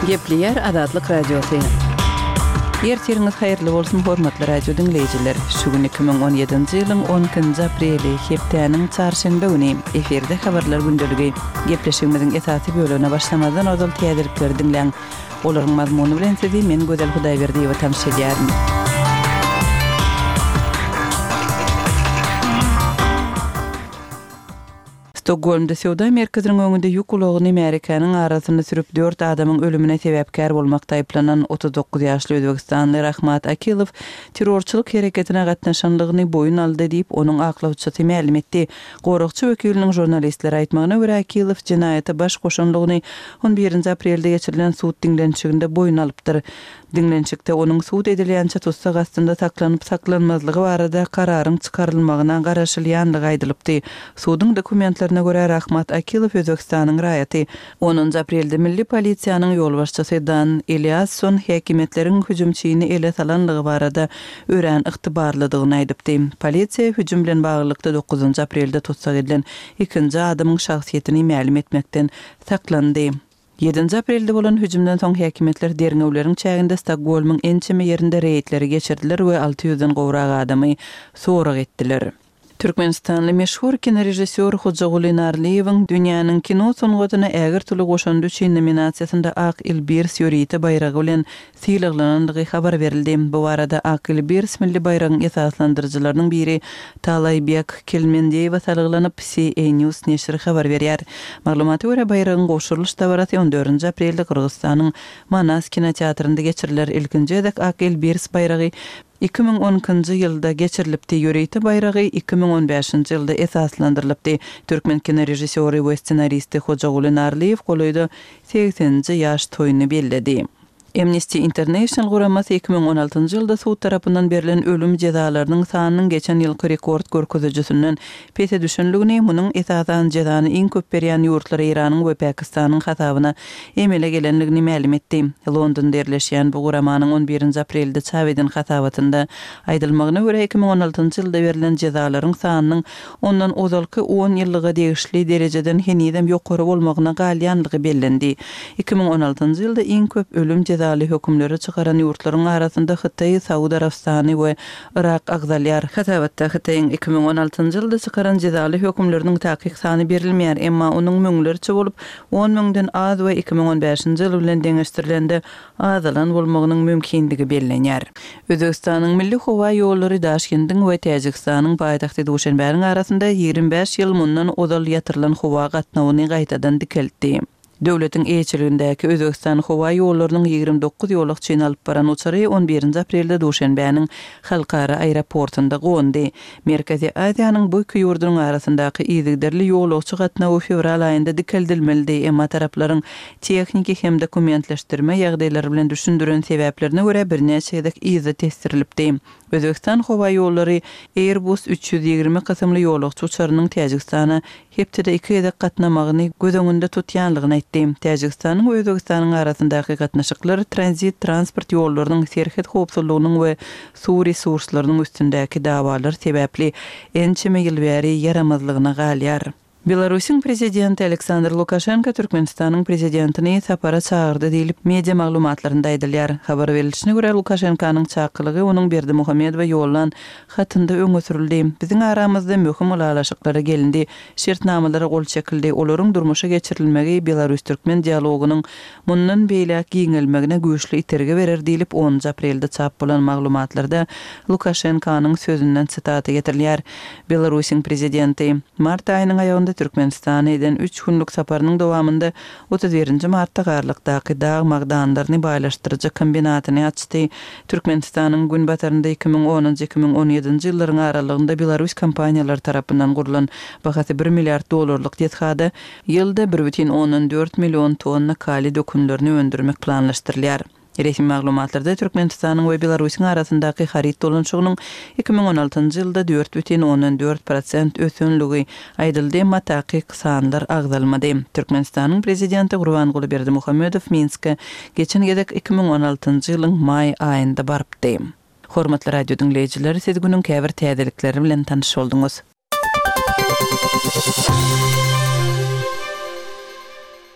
Gepleýär Azatlyk Radiosy. Ertiriňiz haýyrly bolsun, hormatly radio diňleýjiler! Şu gün 2017-nji ýylyň 12-nji apreli, hepdäniň çarşenbe güni. Efirde Habarlar gündeligi. Gepleşigimiziň esasy bölegine başlamazdan ozal täzelikleri diňläň. Olaryň mazmuny bilen sizi men Gözel Hudaýberdiýewa tanyş edýärin. Stokgolmda söwda merkeziniň öňünde ýük ulagyny märekäniň arasynda sürüp dört adamyň ölümine sebäpkär bolmakda aýyplanan 39 ýaşly özbegistanly Rahmat Akilow terrorçylyk hereketine gatnaşanlygyny boýun aldy diýip, onuň aklawçysy mälim etdi. Goragçy wekiliniň žurnalistlere aýtmagyna görä, Akilow jenaýata baş goşanlygyny On birinji aprelde geçirilen sud diňlenişiginde boýun alypdyr. Diňlenişikde onuň sud edilýänçä tussag astynda saklanyp-saklanmazlygy barada kararyň çykarylmagyna garaşylýanlygy aýdylypdy. Suduň dokumentlerine görä, Rahmat Akilow Özbegistanyň raýaty. Onunjy aprelde milli polisiýanyň ýolbaşçysy Dan Eliasson häkimiýetleriň hüjümçini ele salanlygy barada örän ygtybarlydygyny aýdypdy. Polisiýa hüjüm bilen baglylykda dokuzynjy aprelde tussag edilen ikinji adamyň şahsyýetini mälim etmekden saklandy. Ýedinji aprelde bolan hüjümden soň häkimiýetler derňewleriň çäginde Stokgolmyň ençeme ýerinde reýdleri geçirdiler we alty ýüzden gowrak adamy sorag etdiler. Türkmenistanly meşhur kinorežissýor Hojaguly Narlyýewiň Dünýäniň kino sungatyna ägirt uly goşandy üçin nominasiýasynda Ak Ilbirs ýörite baýragy bilen sylaglanandygy habar berildi. Bu barada Ak Ilbirs milli baýragyň esaslandyryjylarynyň biri Talaýbek Kelmendeýewe salgylanyp, CA News neşiri habar berýär. Maglumata görä, baýragyň gowşurylyş dabarasy on dördünji aprelde Gyrgyzystanyň Manas kinoteatrynda geçiriler. Ilkinji gezek Ak Ilbirs baýragy 2012-nji ýylda geçirilipdi, ýörite baýragy 2015-nji ýylda esaslandyrylypdy. Türkmen kinorežissýory we ssenaristi Hojaguly Narlyýew golaýda segseninji ýaş toýuny belledi. Amnesty International guramasy 2016-njy ýylda sud tarapyndan berlen ölüm jezalarynyň sanynyň geçen ýylky rekord görkezijisinden pese düşenligini, munuň esasan jezany iň köp berýän ýurtlar Eýranyň we Pakistanyň hasabyna emele gelenligini mälim etdi. Londonda ýerleşýän bu guramanyň on birinji aprelde çap eden hasabatynda aýdylmagyna görä, 2016-njy ýylda berlen jezalaryň sanynyň ondan ozalky on ýyllyga degişli derejeden henizem ýokary bolmagyna galýanlygy bellendi. 2016-njy ýylda iň köp ölüm jezaly hökümleri çykaran ýurtlaryň arasynda Hytaý, Saud Arabystany we Yrak agzalýar. Hasabatda Hytaýyň 2016-njy ýylda çykaran jezaly hökümleriniň takyk sany berilmeýär, emma onuň müňlerçe bolup, on müňden az we 2015-nji ýyl bilen deňeşdirilende azalan bolmagynyň mümkindigi bellenýär. Özbegistanyň milli howa ýollary Daşkendiň we Täjigistanyň paýtagty Duşenbäniň arasynda 25 ýyl mundan ozal ýatyrylan howa gatnawyny gaýtadan dikeltdi. Döwletiň eýeçiligindäki Özbegistan howa ýollarynyň 29 ýolagçyny alyp baran uçary on birinji aprelde Duşenbäniň halkara aeroportunda gondy. Merkezi Aziýanyň bu iki ýurdunyň arasyndaky yzygiderli ýolagçy gatnawy fewral aýynda dikeldilmelidi, emma taraplaryň tehniki hem dokumentleşdirme ýagdaýlary bilen düşündiren sebäplerine görä birnäçe gezek yza tesdirilipdi. Özbegistan howa ýollary Airbus 320 kysymly ýolagçy uçarynyň Täjigistana hepdede iki gezek gatnamagyny göz öňünde tutýanlygyny aýtdy. Täjigistanyň we Özbegistanyň arasyndaky gatnaşyklar tranzit transport ýollarynyň, serhet howpsuzlygynyň we suw resurslarynyň üstündäki dawalar sebäpli ençeme ýyl bäri ýaramazlygyna galýar. Belarusyň prezidenti Aleksandr Lukaşenko Türkmenistanyň prezidentini sapara çagyrdy diýlip, media maglumatlarynda aýdylýar. Habar berilişine görä, Lukaşenkanyň çakylygy onuň Berdimuhamedowa ýollan hatynda öňe sürüldi. Biziň aramyzda möhüm ylalaşyklara gelindi, şertnamalara gol çekildi, olaryň durmuşa geçirilmegi belarus-türkmen dialogynyň mundan beýläk giňelmegine güýçli itergi berer diýlip, onunjy aprelde çap bolan maglumatlarda Lukaşenkanyň sözünden sitata getirilýär. Belarusyň prezidenti, mart aýynyň aýagynda Türkmenistana eden üç günlük saparynyň dowamynda 31 nji martda Garlykdaky dag magdanlaryny baýlaşdyryjy kombinatyny açdy. Türkmenistanyň günbatarynda 2010-njy, 2017-nji ýyllaryň aralygynda belarus kompaniýalary tarapyndan gurlan bahasy bir milliard dollarlyk desgada ýylda 1,4 million tonna kaliý dökünlerini öndürmek planlaşdyrylýar. Resmi maglumatlarda Türkmenistanyň we Belarusyň arasyndaky haryt dolanyşygynyň 2016-njy ýylda 4,4 prosent ösenligi aýdyldy, emma takyk sanlar agzalmady. Türkmenistanyň prezidenti Gurbanguly Berdimuhamedow Minske geçen gezek 2016-njy ýylyň maý aýynda barypdy. Hormatly radio diňleýjiler, siz günüň käbir täzelikleri bilen tanyş bolduňyz.